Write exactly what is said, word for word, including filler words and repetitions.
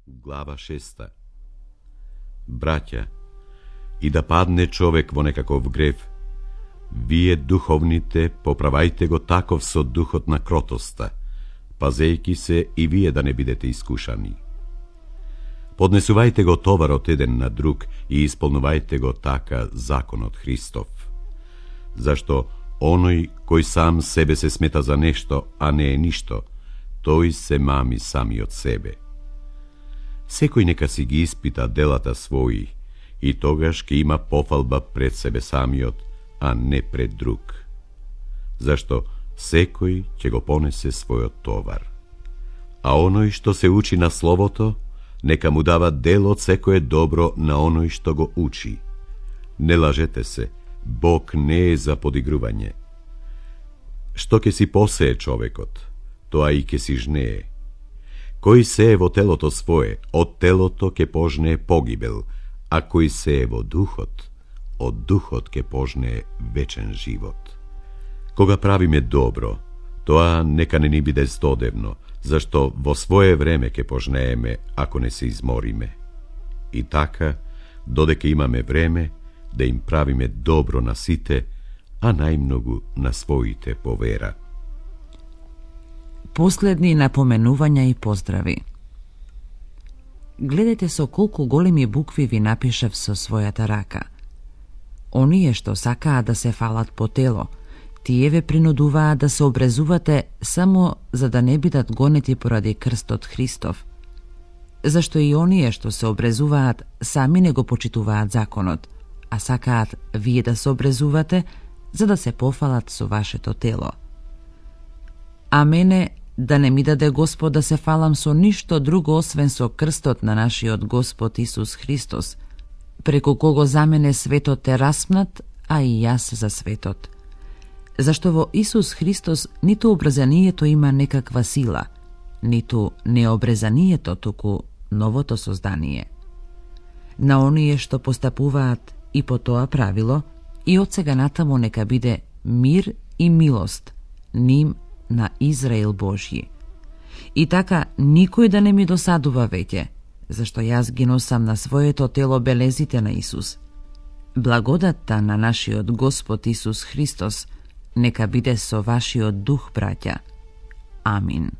Глава шеста. Браќа, и да падне човек во некаков грев, вие духовните поправајте го таков со духот на кротоста, пазејки се и вие да не бидете искушани. Поднесувајте го товарот еден на друг и исполнувајте го така законот Христов. Зашто оној кој сам себе се смета за нешто, а не е ништо, тој се мами сами од себе. Секој нека си ги испита делата своји и тогаш ќе има пофалба пред себе самиот, а не пред друг. Зашто секој ќе го понесе својот товар. А оној што се учи на Словото, нека му дава дел од секое добро на оној што го учи. Не лажете се, Бог не е за подигрување. Што ќе си посее човекот, тоа и ќе си жнее. Кој сее во телото свое, од телото ќе пожнее погибел, а кој сее во духот, од духот ќе пожнее вечен живот. Кога правиме добро, тоа нека не ни биде здодевно, зашто во свое време ќе пожнееме ако не се измориме. И така, додека имаме време, да им правиме добро на сите, а најмногу на своите по вера. Последни напоменувања и поздрави. Гледайте со колку големи букви ви напишав со својата рака. Оние што сакаат да се фалат по тело, тие ве принудуваат да се обрезувате само за да не бидат гонети поради крстот Христов. Зашто и оние што се обрезуваат сами не го почитуваат законот, а сакаат вие да се обрезувате за да се пофалат со вашето тело. А мене да не ми даде Господ да се фалам со ништо друго освен со крстот на нашиот Господ Исус Христос, преку кого за мене светот е распнат, а и јас за светот. Зашто во Исус Христос ниту обрезанието има некаква сила, ниту необрезанието, туку новото создание. На оние што постапуваат и по тоа правило, и од сега натаму нека биде мир и милост ним на Израел Божји. И така никој да не ми досадува веќе, зашто јас ги носам на своето тело белезите на Исус. Благодатта на нашиот Господ Исус Христос нека биде со вашиот дух, браќа. Амин.